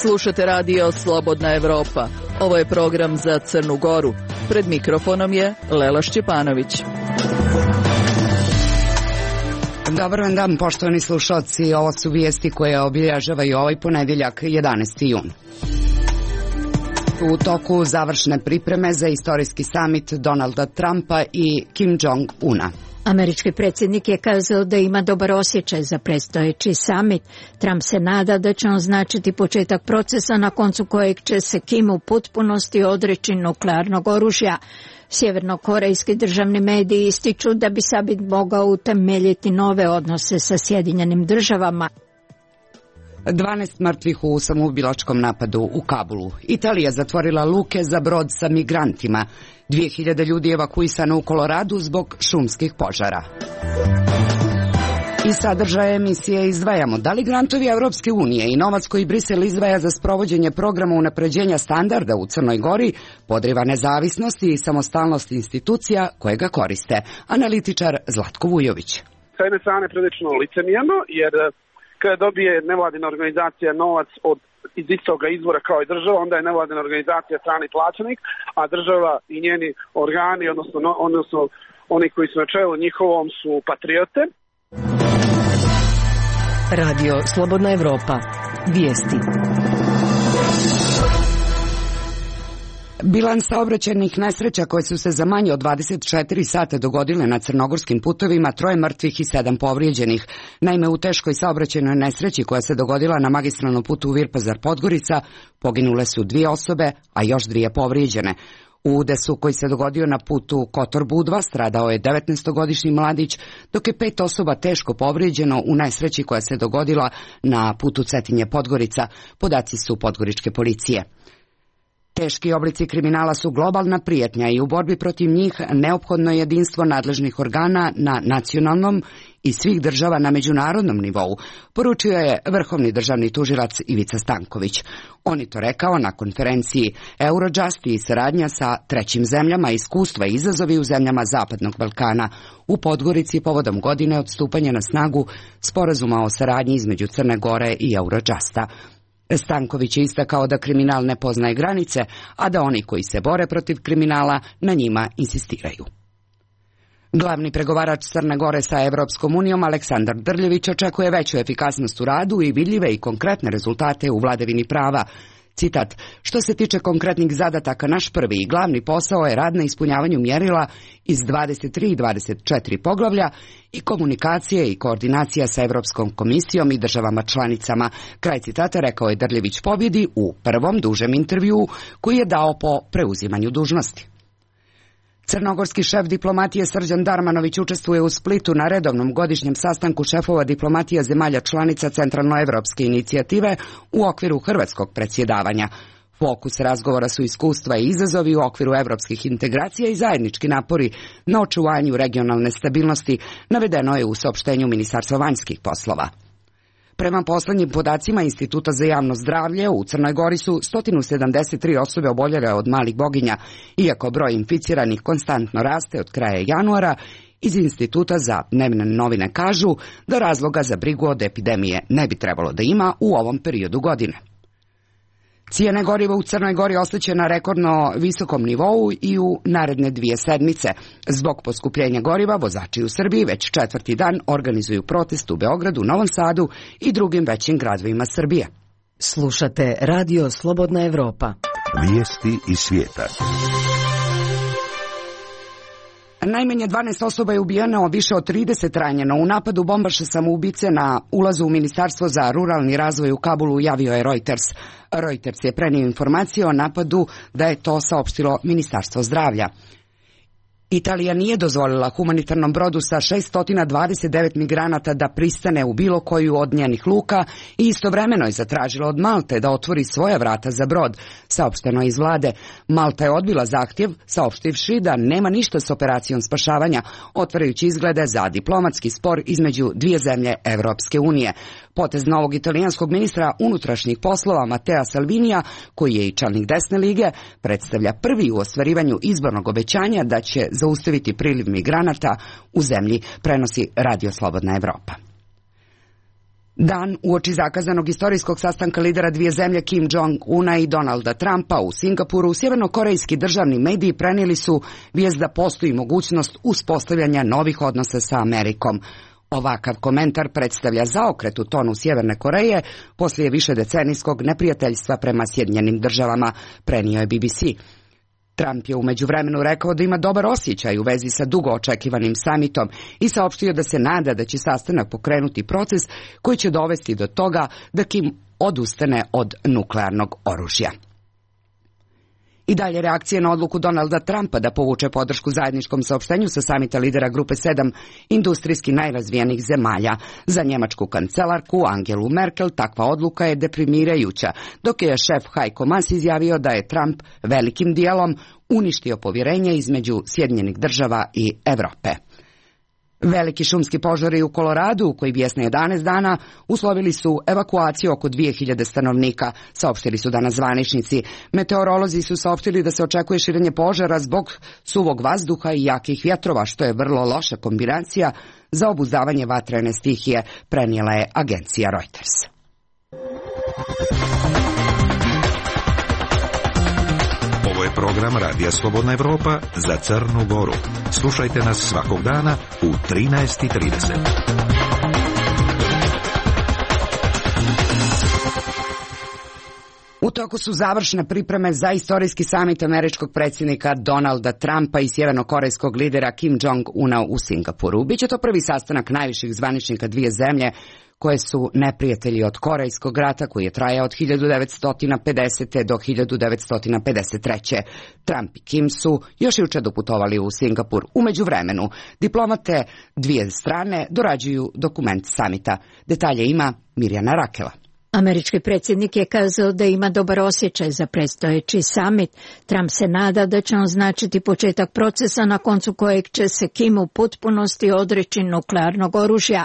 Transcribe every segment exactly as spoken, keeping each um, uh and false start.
Slušate radio Slobodna Evropa. Ovo je program za Crnu Goru. Pred mikrofonom je Lela Šćepanović. Dobar vam dan, poštovani slušalci. Ovo su vijesti koje obilježavaju ovaj ponedjeljak, jedanaesti jun. U toku završne pripreme za istorijski samit Donalda Trumpa i Kim Jong-una. Američki predsjednik je kazao da ima dobar osjećaj za predstojeći samit. Trump se nada da će on značiti početak procesa na koncu kojeg će se Kim u potpunosti odreći nuklearnog oružja. Sjevernokorejski državni mediji ističu da bi samit mogao utemeljiti nove odnose sa Sjedinjenim državama. dvanaest mrtvih u samoubilačkom napadu u Kabulu. Italija zatvorila luke za brod sa migrantima. dvije hiljade ljudi evakuisano u Koloradu zbog šumskih požara. Iz sadržaja emisije izdvajamo da li grantovi Evropske unije i novac koji Brisel izdvaja za sprovođenje programa unapređenja standarda u Crnoj Gori podriva nezavisnost i samostalnost institucija koje ga koriste. Analitičar Zlatko Vujović. Sa jedne strane prilično licemjerno, jer kada dobije nevladina organizacija novac od iz istoga izvora kao i država, onda je nevladina organizacija strani plaćenik, a država i njeni organi, odnosno, odnosno oni koji su na čelu njihovom, su patriote. Radio Slobodna Evropa. Vijesti. Bilans saobraćajnih nesreća koje su se za manje od dvadeset četiri sata dogodile na crnogorskim putovima, troje mrtvih i sedam povrijeđenih. Naime, u teškoj saobraćajnoj nesreći koja se dogodila na magistralnom putu Virpazar-Podgorica poginule su dvije osobe, a još dvije povrijeđene. U udesu koji se dogodio na putu Kotor-Budva stradao je devetnaestogodišnji mladić, dok je pet osoba teško povrijeđeno u nesreći koja se dogodila na putu Cetinje-Podgorica, podaci su podgoričke policije. Teški oblici kriminala su globalna prijetnja i u borbi protiv njih neophodno je jedinstvo nadležnih organa na nacionalnom i svih država na međunarodnom nivou, poručio je vrhovni državni tužilac Ivica Stanković. On je to rekao na konferenciji Eurojust i saradnja sa trećim zemljama, iskustva i izazovi u zemljama Zapadnog Balkana u Podgorici povodom godine od stupanja na snagu sporazuma o saradnji između Crne Gore i Eurojusta. Stanković je istakao da kriminal ne poznaje granice, a da oni koji se bore protiv kriminala na njima insistiraju. Glavni pregovarač Crne Gore sa Evropskom unijom Aleksandar Drljević očekuje veću efikasnost u radu i vidljive i konkretne rezultate u vladavini prava. Citat, što se tiče konkretnih zadataka, naš prvi i glavni posao je rad na ispunjavanju mjerila iz dvadeset tri i dvadeset četiri poglavlja i komunikacije i koordinacija sa Evropskom komisijom i državama članicama. Kraj citata rekao je Drljević pobjedi u prvom dužem intervjuu koji je dao po preuzimanju dužnosti. Crnogorski šef diplomatije Srđan Darmanović učestvuje u Splitu na redovnom godišnjem sastanku šefova diplomatija zemalja članica Centralnoevropske inicijative u okviru hrvatskog predsjedavanja. Fokus razgovora su iskustva i izazovi u okviru evropskih integracija i zajednički napori na očuvanju regionalne stabilnosti, navedeno je u saopštenju Ministarstva vanjskih poslova. Prema poslednjim podacima Instituta za javno zdravlje, u Crnoj Gori su sto sedamdeset tri osobe oboljele od malih boginja, iako broj inficiranih konstantno raste od kraja januara. Iz Instituta za dnevne novine kažu da razloga za brigu od epidemije ne bi trebalo da ima u ovom periodu godine. Cijene goriva u Crnoj Gori ostaće na rekordno visokom nivou i u naredne dvije sedmice. Zbog poskupljenja goriva, vozači u Srbiji već četvrti dan organizuju protest u Beogradu, Novom Sadu i drugim većim gradovima Srbije. Slušate radio Slobodna Evropa. Vijesti iz svijeta. Najmanje dvanaest osoba je ubijeno, više od trideset ranjeno. U napadu bombaša samoubice na ulazu u Ministarstvo za ruralni razvoj u Kabulu javio je Reuters. Reuters je prenio informacije o napadu da je to saopštilo Ministarstvo zdravlja. Italija nije dozvolila humanitarnom brodu sa šesto dvadeset devet migranata da pristane u bilo koju od njenih luka i istovremeno je zatražila od Malte da otvori svoja vrata za brod, saopšteno iz vlade. Malta je odbila zahtjev, saopštivši da nema ništa s operacijom spašavanja, otvarajući izglede za diplomatski spor između dvije zemlje Evropske unije. Potez novog italijanskog ministra unutrašnjih poslova Matea Salvinija, koji je i čelnik desne lige, predstavlja prvi u ostvarivanju izbornog obećanja da će zaustaviti priliv migranata u zemlji, prenosi Radio Slobodna Evropa. Dan uoči zakazanog istorijskog sastanka lidera dvije zemlje Kim Jong-una i Donalda Trumpa u Singapuru, sjevernokorejski državni mediji prenijeli su vijest da postoji mogućnost uspostavljanja novih odnosa sa Amerikom. Ovakav komentar predstavlja zaokret u tonu Sjeverne Koreje poslije višedecenijskog neprijateljstva prema Sjedinjenim državama, prenio je B B C. Trump je u međuvremenu rekao da ima dobar osjećaj u vezi sa dugo očekivanim samitom i saopštio da se nada da će sastanak pokrenuti proces koji će dovesti do toga da Kim odustane od nuklearnog oružja. I dalje reakcije na odluku Donalda Trumpa da povuče podršku zajedničkom saopštenju sa samita lidera grupe sedam industrijski najrazvijenijih zemalja. Za njemačku kancelarku Angelu Merkel takva odluka je deprimirajuća, dok je šef Heiko Maas izjavio da je Trump velikim dijelom uništio povjerenje između Sjedinjenih država i Evrope. Veliki šumski požari u Koloradu, koji bijesne jedanaest dana, uslovili su evakuaciju oko dvije hiljade stanovnika, saopštili su danas zvaničnici. Meteorolozi su saopštili da se očekuje širenje požara zbog suvog vazduha i jakih vjetrova, što je vrlo loša kombinacija za obuzdavanje vatrene stihije, prenijela je agencija Reuters. Ovo je program Radija Slobodna Evropa za Crnu Goru. Slušajte nas svakog dana u trinaest i trideset. U toku su završne pripreme za istorijski samit američkog predsjednika Donalda Trumpa i sjevernokorejskog lidera Kim Jong-una u Singapuru. Biće to prvi sastanak najviših zvaničnika dvije zemlje koje su neprijatelji od Korejskog rata, koji je trajao od hiljadu devetsto pedesete. do hiljadu devetsto pedeset treće. Trump i Kim su još jučer doputovali u Singapur. U međuvremenu, diplomate dvije strane dorađuju dokument samita. Detalje ima Mirjana Rakela. Američki predsjednik je kazao da ima dobar osjećaj za predstojeći samit. Trump se nada da će on značiti početak procesa na koncu kojeg će se Kim u potpunosti odreći nuklearnog oružja.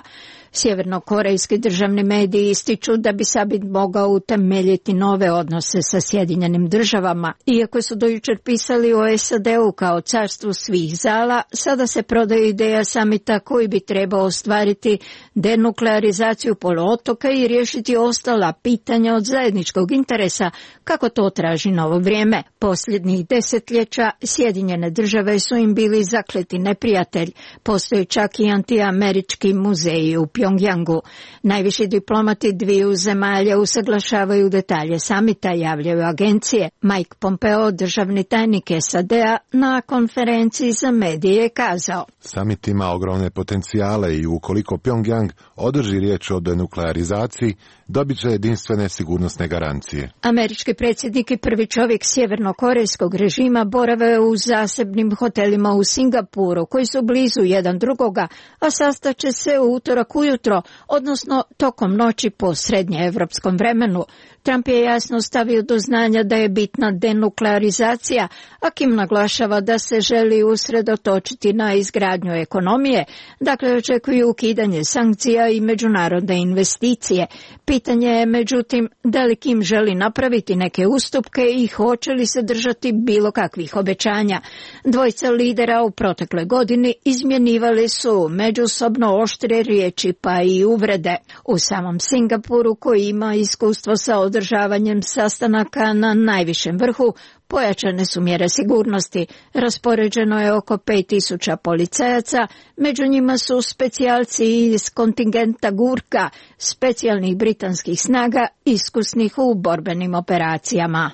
Sjevernokorejski državni mediji ističu da bi samit mogao utemeljiti nove odnose sa Sjedinjenim državama. Iako su do jučer pisali o S A D-u kao carstvu svih zala, sada se prodaje ideja samita koji bi trebao ostvariti denuklearizaciju poluotoka i riješiti ostala pitanja od zajedničkog interesa, kako to traži novo vrijeme. Posljednjih desetljeća Sjedinjene države su im bili zakleti neprijatelj. Postoji čak i antiamerički muzeji u Pjongjangu. Najviši diplomati dviju zemalja usaglašavaju detalje samita, javljaju agencije. Mike Pompeo, državni tajnik S A D-a, na konferenciji za medije je kazao: Samit ima ogromne potencijale i ukoliko Pjongjang održi riječ o denuklearizaciji, dobit će jedinstvene sigurnosne garancije. Američki predsjednik i prvi čovjek sjevernokorejskog režima borave u zasebnim hotelima u Singapuru, koji su blizu jedan drugoga, a sastaće se u utorak ujutro, odnosno tokom noći po srednjeevropskom vremenu. Trump je jasno stavio do znanja da je bitna denuklearizacija, a Kim naglašava da se želi usredotočiti na izgradnju ekonomije, dakle očekuju ukidanje sankcija i međunarodne investicije. Pitanje je međutim da li Kim želi napraviti neke ustupke i hoće li se držati bilo kakvih obećanja. Dvojica lidera u protekloj godini izmjenjivali su međusobno oštre riječi pa i uvrede. U samom Singapuru, koji ima iskustvo sa održavanjem sastanaka na najvišem vrhu, pojačane su mjere sigurnosti. Raspoređeno je oko pet tisuća policajaca, među njima su specijalci iz kontingenta Gurka, specijalnih britanskih snaga, iskusnih u borbenim operacijama.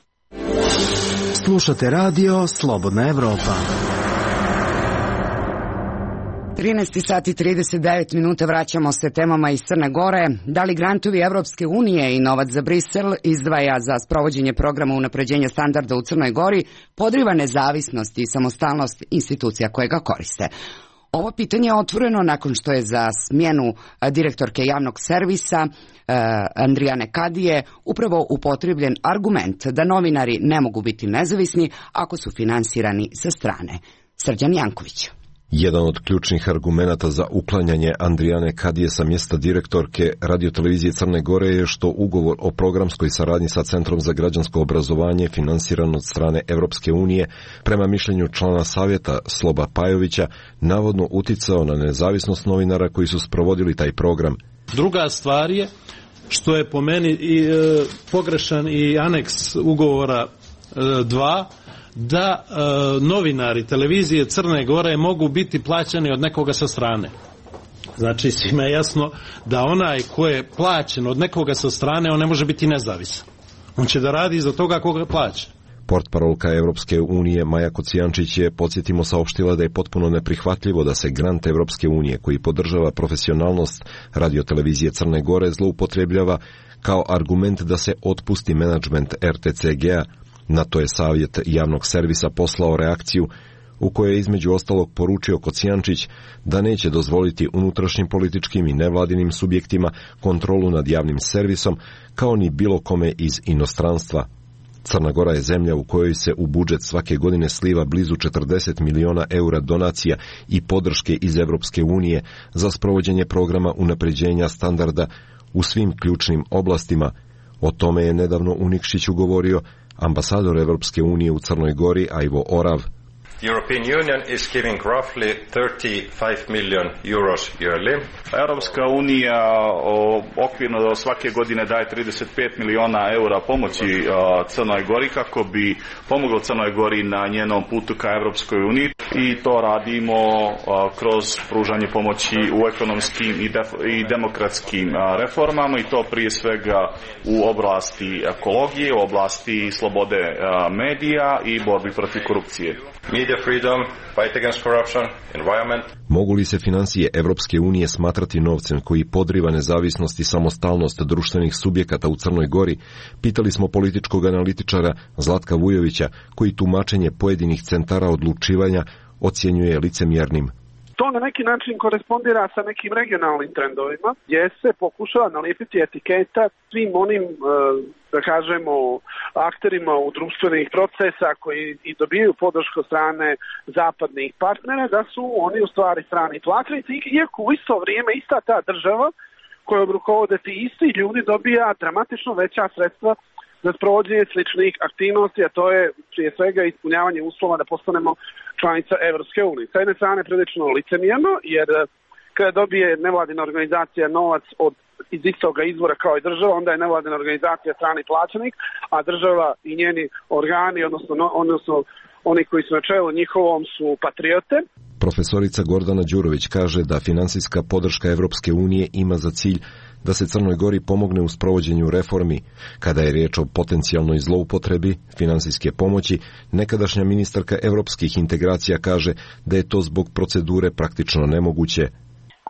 Slušate radio Slobodna Evropa. trinaest sati i trideset devet minuta, vraćamo se temama iz Crne Gore. Da li grantovi Evropske unije i novac za Brisel izdvaja za sprovođenje programa unapređenja standarda u Crnoj Gori podriva nezavisnost i samostalnost institucija koje ga koriste? Ovo pitanje je otvoreno nakon što je za smjenu direktorke javnog servisa Andrijane Kadije upravo upotrebljen argument da novinari ne mogu biti nezavisni ako su finansirani sa strane. Srđan Janković. Jedan od ključnih argumenata za uklanjanje Andrijane Kadije sa mjesta direktorke radiotelevizije Crne Gore je što ugovor o programskoj saradnji sa Centrom za građansko obrazovanje finansiran od strane Evropske unije, prema mišljenju člana savjeta Sloba Pajovića, navodno uticao na nezavisnost novinara koji su sprovodili taj program. Druga stvar je što je po meni i, e, pogrešan i aneks ugovora dva, da e, novinari televizije Crne Gore mogu biti plaćani od nekoga sa strane. Znači, svima je jasno da onaj ko je plaćen od nekoga sa strane, on ne može biti nezavisan. On će da radi za toga koga plaća. Portparolka Evropske unije Maja Kocijančić je, podsjetimo, saopštila da je potpuno neprihvatljivo da se grant Evropske unije koji podržava profesionalnost radiotelevizije Crne Gore zloupotrebljava kao argument da se otpusti menadžment R T C G-a. Na to je savjet javnog servisa poslao reakciju u kojoj je između ostalog poručio Kocijančić da neće dozvoliti unutrašnjim političkim i nevladinim subjektima kontrolu nad javnim servisom, kao ni bilo kome iz inostranstva. Crna Gora je zemlja u kojoj se u budžet svake godine sliva blizu četrdeset miliona eura donacija i podrške iz Evropske unije za sprovođenje programa unapređenja standarda u svim ključnim oblastima. O tome je nedavno u Nikšiću govorio ambasador Evropske unije u Crnoj Gori Ivo Orav. The European Union is giving roughly thirty-five million euros yearly. Europska unija okvirno svake godine daje trideset pet miliona eura pomoći Crnoj Gori kako bi pomoglo Crnoj Gori na njenom putu ka Europskoj uniji i to radimo kroz pružanje pomoći u ekonomskim i, i demokratskim reformama i to prije svega u oblasti ekologije, u oblasti slobode medija i borbi protiv korupcije. Media freedom, fight against corruption, environment. Mogu li se financije Evropske unije smatrati novcem koji podriva nezavisnost i samostalnost društvenih subjekata u Crnoj Gori? Pitali smo političkog analitičara Zlatka Vujovića, koji tumačenje pojedinih centara odlučivanja ocjenjuje licemjernim. To na neki način korespondira sa nekim regionalnim trendovima, gdje se pokušava nalijepiti etiketa svim onim, da kažemo, akterima u društvenih procesa koji i dobijaju podršku od strane zapadnih partnera, da su oni u stvari strani platilici, iako u isto vrijeme ista ta država kojom rukovode ti isti ljudi dobija dramatično veća sredstva za sprovođenje sličnih aktivnosti, a to je prije svega ispunjavanje uslova da postanemo članica Evropske unije. Sa jedne strane prilično licemjerno, jer kada dobije nevladina organizacija novac od iz istoga izvora kao i država, onda je nevladina organizacija strani plaćenik, a država i njeni organi, odnosno, odnosno oni koji su na čelu njihovom su patriote. Profesorica Gordana Đurović kaže da finansijska podrška Evropske unije ima za cilj da se Crnoj Gori pomogne u sprovođenju reformi. Kada je riječ o potencijalnoj zloupotrebi finansijske pomoći, nekadašnja ministarka evropskih integracija kaže da je to zbog procedure praktično nemoguće.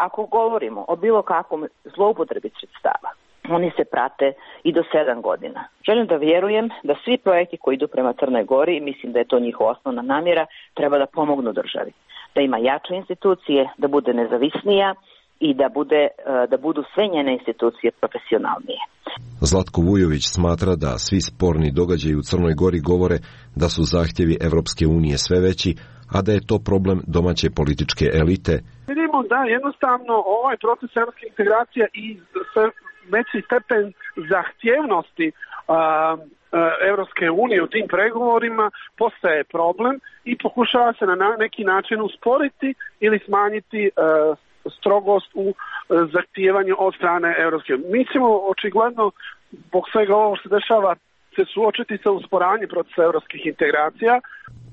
Ako govorimo o bilo kakvom zloupotrebi sredstava, oni se prate i do sedam godina. Želim da vjerujem da svi projekti koji idu prema Crnoj Gori, mislim da je to njihova osnovna namjera, treba da pomognu državi. Da ima jače institucije, da bude nezavisnija i da, bude, da budu sve njene institucije profesionalnije. Zlatko Vujović smatra da svi sporni događaji u Crnoj Gori govore da su zahtjevi Evropske unije sve veći, a da je to problem domaće političke elite. Vidimo da jednostavno ovaj proces evropske integracije i sve veći stepen zahtjevnosti Evropske unije u tim pregovorima postaje problem i pokušava se na neki način usporiti ili smanjiti strogost u zahtijevanju od strane Evropske unije. Mi ćemo očigledno zbog svega ovo što se dešava se suočiti sa usporavanjem procesa evropskih integracija.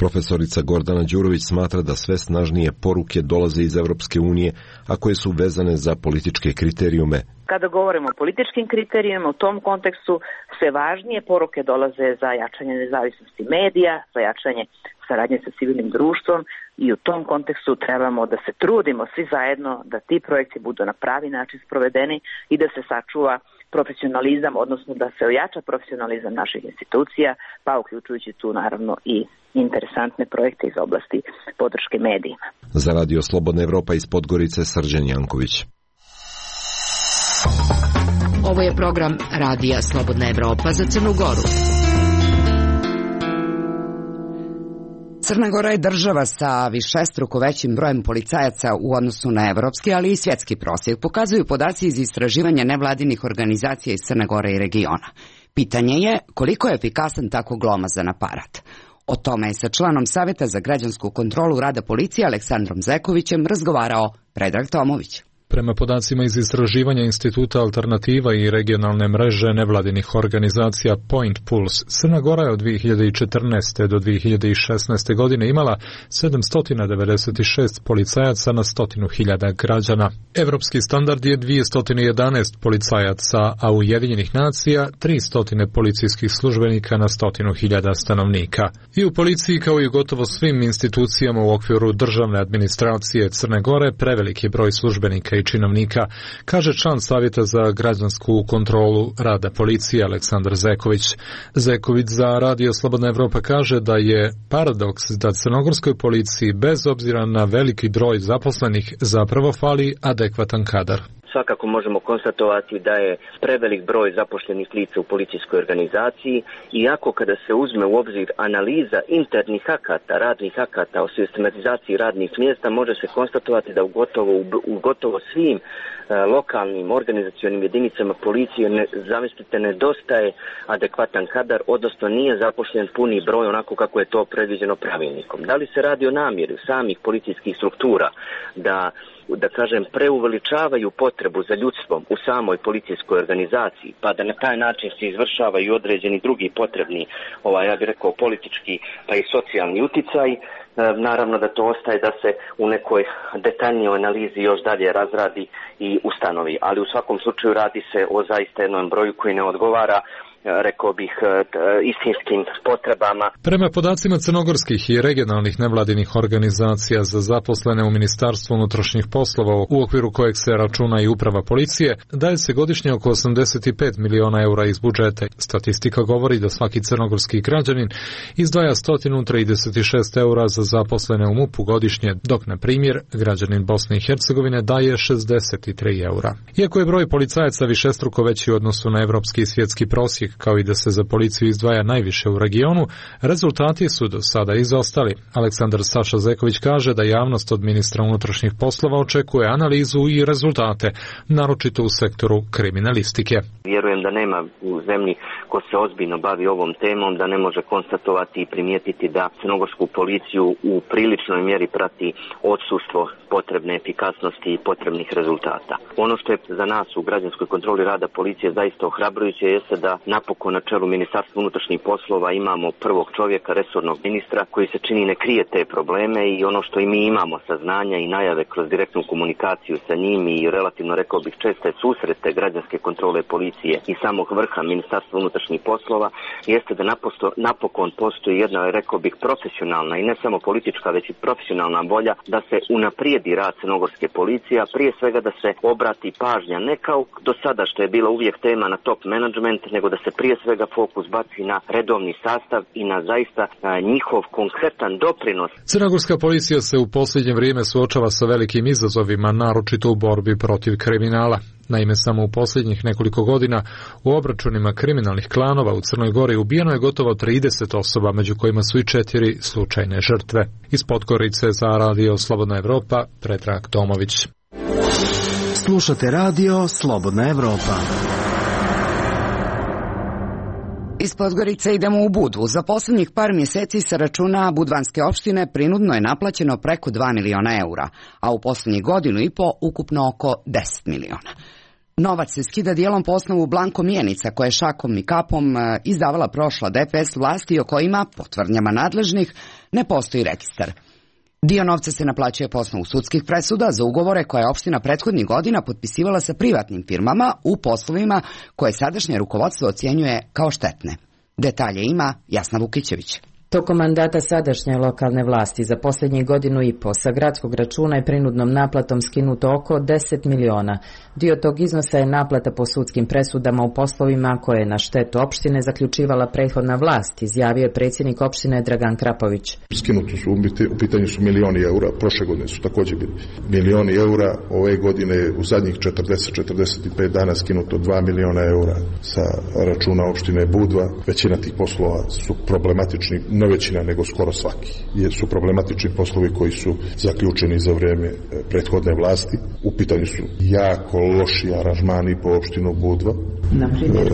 Profesorica Gordana Đurović smatra da sve snažnije poruke dolaze iz Evropske unije, a koje su vezane za političke kriterijume. Kada govorimo o političkim kriterijima, u tom kontekstu sve važnije poruke dolaze za jačanje nezavisnosti medija, za jačanje saradnje sa civilnim društvom i u tom kontekstu trebamo da se trudimo svi zajedno da ti projekti budu na pravi način sprovedeni i da se sačuva profesionalizam, odnosno da se ojača profesionalizam naših institucija, pa uključujući tu naravno i interesantne projekte iz oblasti podrške medijima. Za Radio Slobodna Evropa iz Podgorice, Srđan Janković. Ovo je program Radija Slobodna Evropa za Crnu Goru. Crna Gora je država sa višestruko većim brojem policajaca u odnosu na evropski, ali i svjetski prosjek, pokazuju podaci iz istraživanja nevladinih organizacija iz Crne Gore i regiona. Pitanje je koliko je efikasan tako glomazan aparat. O tome je sa članom Savjeta za građansku kontrolu rada policije Aleksandrom Zekovićem razgovarao Predrag Tomović. Prema podacima iz istraživanja Instituta Alternativa i regionalne mreže nevladinih organizacija Point Pulse, Crna Gora je od dvije hiljade četrnaeste do dvije hiljade šesnaeste. godine imala sedamsto devedeset šest policajaca na stotinu hiljada građana. Evropski standard je dvjesto jedanaest policajaca, a u Ujedinjenih nacija tristo policijskih službenika na stotinu hiljada stanovnika. I u policiji, kao i u gotovo svim institucijama u okviru državne administracije Crne Gore, preveliki broj službenika i činovnika, kaže član Savjeta za građansku kontrolu rada policije Aleksandar Zeković. Zeković za Radio Slobodna Evropa kaže da je paradoks da crnogorskoj policiji bez obzira na veliki broj zaposlenih zapravo fali adekvatan kadar. Svakako možemo konstatovati da je prevelik broj zaposlenih lica u policijskoj organizaciji, iako kada se uzme u obzir analiza internih akata, radnih akata o sistematizaciji radnih mjesta, može se konstatovati da u gotovo, u gotovo svim e, lokalnim organizacionim jedinicama policije, ne, zamislite, nedostaje adekvatan kadar, odnosno nije zaposlen puni broj onako kako je to predviđeno pravilnikom. Da li se radi o namjeri samih policijskih struktura da da kažem, preuveličavaju potrebu za ljudstvom u samoj policijskoj organizaciji, pa da na taj način se izvršavaju određeni drugi potrebni, ovaj, ja bih rekao, politički pa i socijalni uticaj. E, naravno da to ostaje da se u nekoj detaljnijoj analizi još dalje razradi i ustanovi, ali u svakom slučaju radi se o zaista jednom broju koji ne odgovara, rekao bih, istinskim potrebama. Prema podacima crnogorskih i regionalnih nevladinih organizacija za zaposlene u Ministarstvu unutrašnjih poslova, u okviru kojeg se računa i uprava policije, daje se godišnje oko osamdeset pet miliona eura iz budžeta. Statistika govori da svaki crnogorski građanin izdvaja sto trideset šest eura za zaposlene u MUP-u godišnje, dok, na primjer, građanin Bosne i Hercegovine daje šezdeset tri eura. Iako je broj policajaca višestruko veći u odnosu na evropski i svjetski prosjek, kao i da se za policiju izdvaja najviše u regionu, rezultati su do sada izostali. Aleksandar Saša Zeković kaže da javnost od ministra unutrašnjih poslova očekuje analizu i rezultate, naročito u sektoru kriminalistike. Vjerujem da nema u zemlji ko se ozbiljno bavi ovom temom, da ne može konstatovati i primijetiti da crnogorsku policiju u priličnoj mjeri prati odsustvo potrebne efikasnosti i potrebnih rezultata. Ono što je za nas u građanskoj kontroli rada policije zaista ohrabrujuće jeste da napokon na čelu Ministarstva unutrašnjih poslova imamo prvog čovjeka, resornog ministra, koji se čini ne krije te probleme, i ono što i mi imamo saznanja i najave kroz direktnu komunikaciju sa njim i relativno, rekao bih, česte susrete građanske kontrole policije i samog vrha Ministarstva unutrašnjih poslova, jeste da naposto, napokon postoji jedna, rekao bih, profesionalna i ne samo politička, već i profesionalna volja da se unaprijedi rad crnogorske policije, a prije svega da se obrati pažnja ne kao do sada što je bila uvijek tema na top management, nego da se prije svega fokus baci na redovni sastav i na zaista a, njihov konkretan doprinos. Crnogorska policija se u posljednje vrijeme suočava sa velikim izazovima, naročito u borbi protiv kriminala. Naime, samo u posljednjih nekoliko godina u obračunima kriminalnih klanova u Crnoj Gori ubijeno je gotovo trideset osoba, među kojima su i četiri slučajne žrtve. Iz Podgorice za Radio Slobodna Evropa, Predrag Tomović. Slušate Radio Slobodna Evropa. Iz Podgorice idemo u Budvu. Za posljednjih par mjeseci sa računa budvanske opštine prinudno je naplaćeno preko dva miliona eura, a u posljednjih godinu i po ukupno oko deset miliona. Novac se skida dijelom po osnovu blanko mjenica koje šakom i kapom izdavala prošla D P S vlasti o kojima, po tvrdnjama nadležnih, ne postoji registar. Dio novca se naplaćuje po osnovu sudskih presuda za ugovore koje je opština prethodnih godina potpisivala sa privatnim firmama u poslovima koje sadašnje rukovodstvo ocjenjuje kao štetne. Detalje ima Jasna Vukićević. Tokom mandata sadašnje lokalne vlasti za posljednjih godinu i po sa gradskog računa je prinudnom naplatom skinuto oko deset miliona. Dio tog iznosa je naplata po sudskim presudama u poslovima koje je na štetu opštine zaključivala prethodna vlast, izjavio je predsjednik opštine Dragan Krapović. Skinuto su, u pitanju su milioni eura, prošle godine su također bili milioni eura, ove godine u zadnjih četrdeset do četrdeset pet dana skinuto dva miliona eura sa računa opštine Budva. Većina tih poslova su problematični, ne većina, nego skoro svaki, jer su problematični poslovi koji su zaključeni za vreme prethodne vlasti. U pitanju su jako loši aranžmani po opštinu Budva. Na primjer?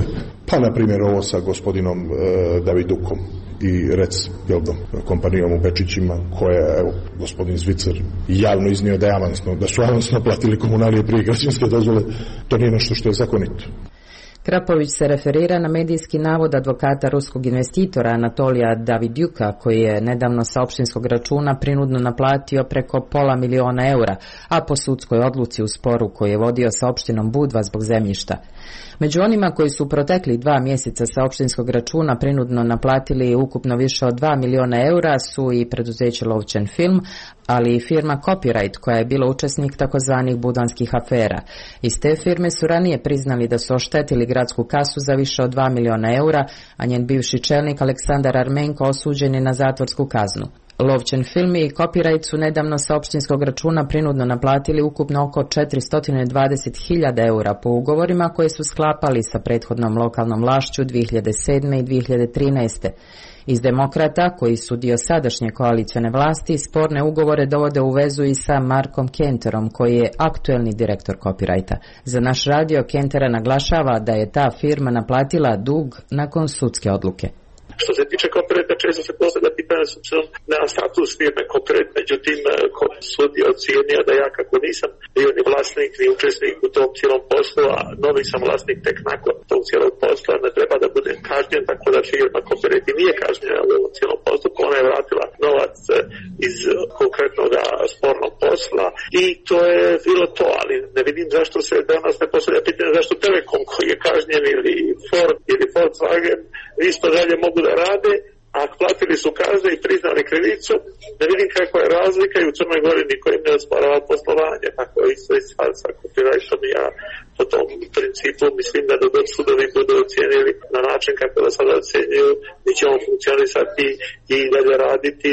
Pa, na primjer, ovo sa gospodinom e, Davidukom i Rec Pjeldom, kompanijom u Bečićima, koja, evo, gospodin Zvicer javno iznio da je avansno, da su avansno platili komunalije prije građanske dozvole. To nije nešto što je zakonito. Krapović se referira na medijski navod advokata ruskog investitora Anatolija Davidjuka, koji je nedavno sa opštinskog računa prinudno naplatio preko pola miliona eura, a po sudskoj odluci u sporu koji je vodio sa opštinom Budva zbog zemljišta. Među onima koji su protekli dva mjeseca sa opštinskog računa prinudno naplatili ukupno više od dva miliona eura su i preduzeće Lovćen film, ali i firma Copyright, koja je bila učesnik takozvanih budanskih afera. Iz te firme su ranije priznali da su oštetili gradsku kasu za više od dva miliona eura, a njen bivši čelnik Aleksandar Armenko osuđen je na zatvorsku kaznu. Lovćen film i Copyright su nedavno sa opštinskog računa prinudno naplatili ukupno oko četiristo dvadeset hiljada eura po ugovorima koje su sklapali sa prethodnom lokalnom vlašću dvije hiljade sedme i dvije hiljade trinaeste. Iz Demokrata, koji su dio sadašnje koalicione vlasti, sporne ugovore dovode u vezu i sa Markom Kenterom, koji je aktuelni direktor Copyrighta. Za naš radio Kentera naglašava da je ta firma naplatila dug nakon sudske odluke. Što se tiče Copyrighta, često se postavlja pitanje s obzirom na status firme Copyright, međutim sud je ocijenio da ja kako nisam bio ni vlasnik ni učesnik u tom cijelom poslu, a novi sam vlasnik tek nakon tog cijelog posla, ne treba da budem kažnjen, tako da firma Copyright i nije kažnjena u ovom cijelom postupku. Ona je vratila novac iz konkretnog spornog posla i to je bilo to, ali ne vidim zašto se danas ne postavlja pitanje zašto Telekom koji je kažnjen ili Ford ili Volkswagen isto dalje mogu da rade, a platili su kazne i priznali krivicu. Ne vidim kakva je razlika i u Crnoj Gori niko im ne osporava poslovanje, tako je isto i stvar sa Copyrightom. Ja po tom principu mislim da dok sudovi budu ocijenili na način kako da sada ocjenjuju, mi ćemo funkcionisati i dalje raditi.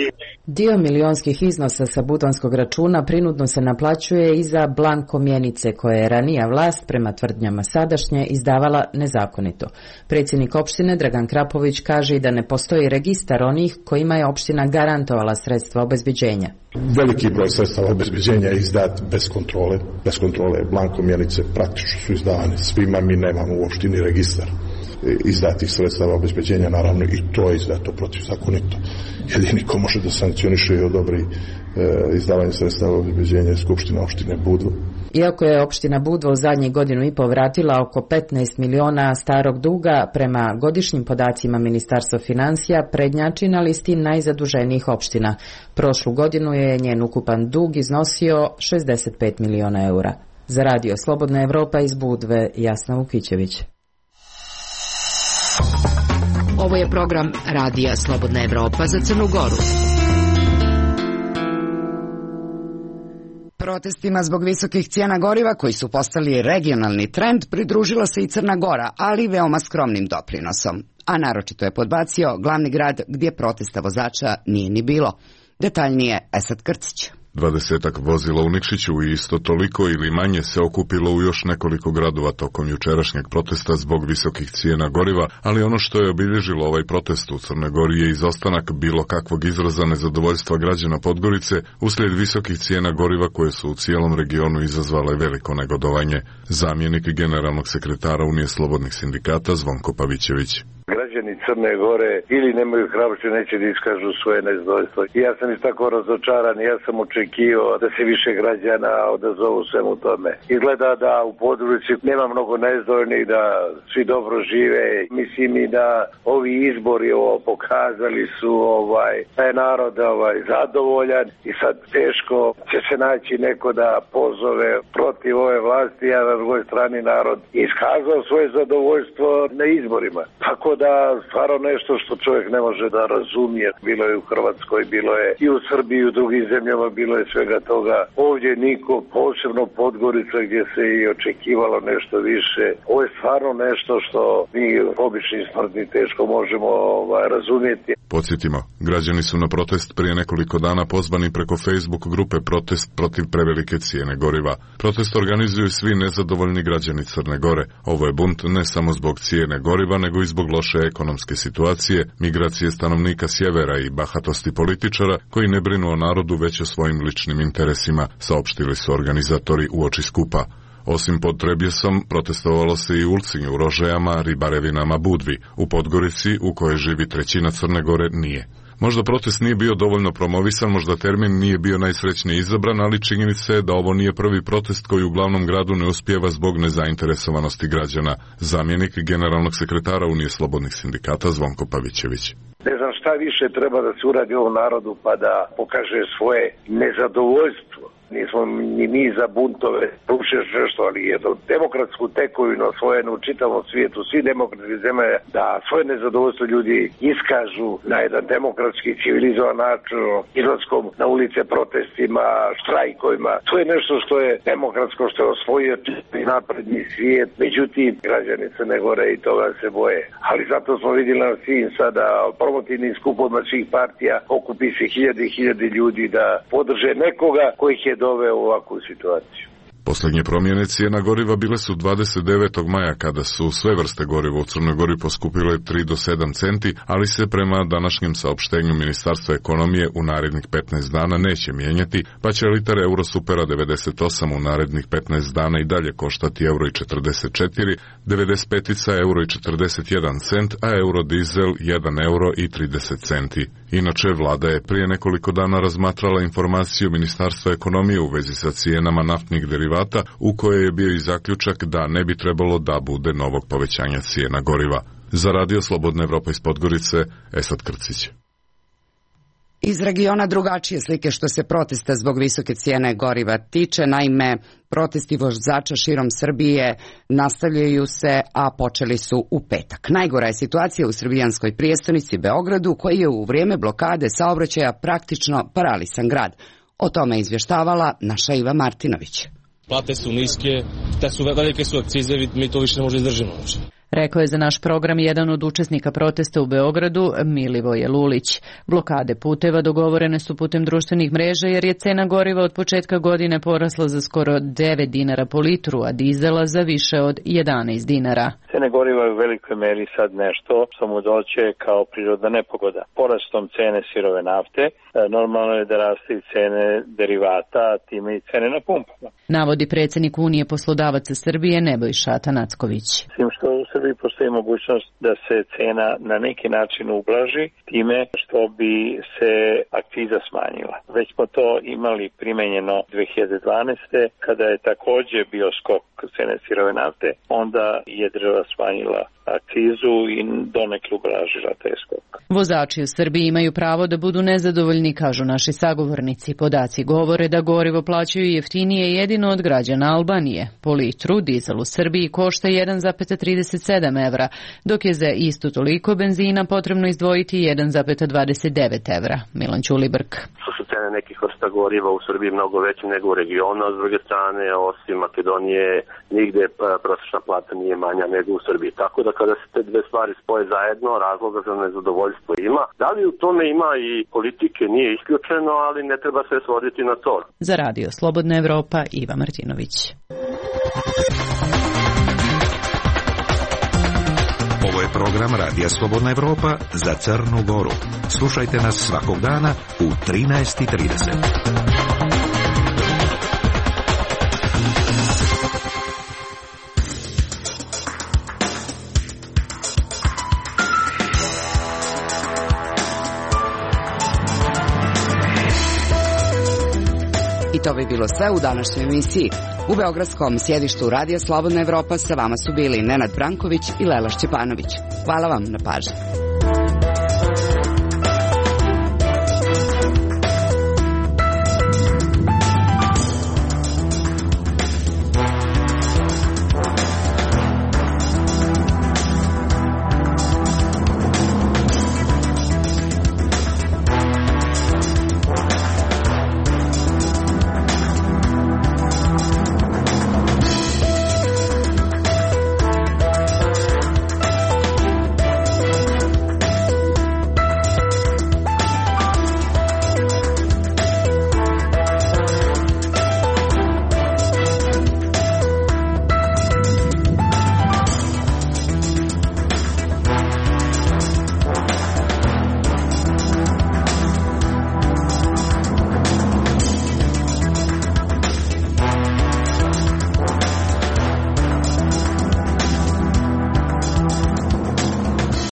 Dio milionskih iznosa sa budanskog računa prinudno se naplaćuje i za blanko mjenice koje je ranija vlast prema tvrdnjama sadašnje izdavala nezakonito. Predsjednik opštine Dragan Krapović kaže i da ne postoji registar onih kojima je opština garantovala sredstva obezbeđenja. Veliki broj sredstava obezbeđenja je izdat bez kontrole. Bez kontrole blanko mjenice praktično su izdavane svima, mi nemamo u opštini registar izdatih sredstava obezbeđenja, naravno i to je izdato protivzakonito. Jedini ko može da sankcioniše i odobri e, izdavanje sredstava obezbeđenja je Skupština opštine Budva. Iako je opština Budva u zadnjih godinu i po vratila oko petnaest miliona starog duga, prema godišnjim podacima Ministarstva financija prednjači na listi najzaduženijih opština. Prošlu godinu je njen ukupan dug iznosio šezdeset pet miliona eura. Za radio Slobodna Evropa iz Budve, Jasna Vukićević. Ovo je program Radija Slobodna Evropa za Crnu Goru. Protestima zbog visokih cijena goriva koji su postali regionalni trend pridružila se i Crna Gora, ali veoma skromnim doprinosom. A naročito je podbacio glavni grad gdje protesta vozača nije ni bilo. Detaljnije Esad Krcić. Dvadesetak vozila u Nikšiću i isto toliko ili manje se okupilo u još nekoliko gradova tokom jučerašnjeg protesta zbog visokih cijena goriva, ali ono što je obilježilo ovaj protest u Crnoj Gori je izostanak bilo kakvog izraza nezadovoljstva građana Podgorice uslijed visokih cijena goriva koje su u cijelom regionu izazvale veliko negodovanje. Zamjenik generalnog sekretara Unije slobodnih sindikata Zvonko Pavićević. Građani Crne Gore ili nemaju hrabrosti, neće da iskažu svoje nezadovoljstvo. I ja sam isto tako razočaran, ja sam očekivao da se više građana odazovu svemu tome. Izgleda da u području nema mnogo nezadovoljnih, da svi dobro žive. Mislim i da ovi izbori ovo pokazali su ovaj da je narod ovaj zadovoljan i sad teško će se naći neko da pozove protiv ove vlasti, a na drugoj strani narod iskazao svoje zadovoljstvo na izborima. Tako da stvarno nešto što čovjek ne može da razumije. Bilo je u Hrvatskoj, bilo je i u Srbiji, i u drugim zemljama, bilo je svega toga. Ovdje niko, posebno Podgorica gdje se i očekivalo nešto više. Ovo je stvarno nešto što mi obični smrtni teško možemo ovaj, razumjeti. Podsjetimo, građani su na protest prije nekoliko dana pozvani preko Facebook grupe Protest protiv prevelike cijene goriva. Protest organizuju svi nezadovoljni građani Crne Gore. Ovo je bunt ne samo zbog cijene goriva, nego i zbog loše ekonomske situacije, migracije stanovnika sjevera i bahatosti političara koji ne brinu o narodu već o svojim ličnim interesima, saopštili su organizatori uoči skupa. Osim pod Trebjesom, protestovalo se i u Ulcinju, Rožajama, Ribarevinama, Budvi. U Podgorici, u kojoj živi trećina Crne Gore, nije. Možda protest nije bio dovoljno promovisan, možda termin nije bio najsrećnije izabran, ali činjenica je da ovo nije prvi protest koji u glavnom gradu ne uspijeva zbog nezainteresovanosti građana. Zamjenik generalnog sekretara Unije slobodnih sindikata Zvonko Pavićević. Ne znam šta više treba da se uradi ovom narodu pa da pokaže svoje nezadovoljstvo. Nismo ni mi za buntove, rušeš nešto, ali jednu demokratsku tekovinu osvojenu u čitavom svijetu, svi demokratski zemlje, da svoje nezadovoljstvo ljudi iskažu na jedan demokratski, civilizovan način, izlaskom na ulice, protestima, štrajkovima. To je nešto što je demokratsko, što je osvojio čitavi napredni svijet. Međutim, građani Crne Gore i toga se boje. Ali zato smo vidjeli na svim sada promotivnim skupovima svih partija, okupi se hiljade i hiljade ljudi da podrže nekoga kojih je doveo u ovakvu situaciju. Posljednje promjene cijena goriva bile su dvadeset devetog maja kada su sve vrste goriva u Crnoj Gori poskupile tri do sedam centi, ali se prema današnjem saopštenju Ministarstva ekonomije u narednih petnaest dana neće mijenjati, pa će litar Eurosupera devedeset osam u narednih petnaest dana i dalje koštati euro i četrdeset četiri, devedeset pet euro i četrdeset jedan cent, a eurodizel jedan euro i trideset centi. Inače, vlada je prije nekoliko dana razmatrala informaciju Ministarstva ekonomije u vezi sa cijenama naftnih derivata, u kojoj je bio i zaključak da ne bi trebalo da bude novog povećanja cijena goriva. Za Radio Slobodna Evropa iz Podgorice, Esad Krcić. Iz regiona drugačije slike što se protesta zbog visoke cijene goriva tiče, naime, protesti vozača širom Srbije nastavljaju se, a počeli su u petak. Najgora je situacija u srbijanskoj prijestonici Beogradu, koji je u vrijeme blokade saobraćaja praktično paralisan grad. O tome izvještavala naša Iva Martinović. Plate su niske, te su velike su akcize, mi to više ne možemo izdržimo. Rekao je za naš program jedan od učesnika protesta u Beogradu, Milivoje Lulić. Blokade puteva dogovorene su putem društvenih mreža jer je cena goriva od početka godine porasla za skoro devet dinara po litru, a dizela za više od jedanaest dinara. Cene goriva je u velikoj meri sad nešto što mu doće kao prirodna nepogoda. Porastom cene sirove nafte, normalno je da raste i cene derivata, a time i cene na pumpama. Navodi predsjednik Unije poslodavaca Srbije Nebojša Atanacković. Tim što u Srbiji postoji mogućnost da se cena na neki način ublaži time što bi se akciza smanjila. Već smo to imali primenjeno dve hiljade dvanaeste kada je također bio skok cene sirove nafte, onda je država smanjila akcizu i donekle ublažila taj skok. Vozači u Srbiji imaju pravo da budu nezadovoljni, kažu naši sagovornici. Podaci govore da gorivo plaćaju jeftinije jedino od građana Albanije. Po litru dizel u Srbiji košta jedan zarez trideset sedam evra, dok je za isto toliko benzina potrebno izdvojiti jedan zarez dvadeset devet evra. Milan Ćulibrk. Što su cene nekih vrsta goriva u Srbiji mnogo veće nego u regionu, a s druge strane, osim Makedonije, nigde prosječna plata nije manja nego u Srbiji. Tako da kada se te dve stvari spoje zajedno, razloga za nezadovoljstvo ima. Da li u tome ima i politike, nije isključeno, ali ne treba sve svoditi na to. Za Radio Slobodna Evropa, Iva Martinović. Ovo je program Radija Slobodna Evropa za Crnu Goru. Slušajte nas svakog dana u trinaest i trideset. I to bi bilo sve u današnjoj emisiji. U beogradskom sjedištu Radija Slobodna Evropa sa vama su bili Nenad Branković i Lela Šćepanović. Hvala vam na pažnji.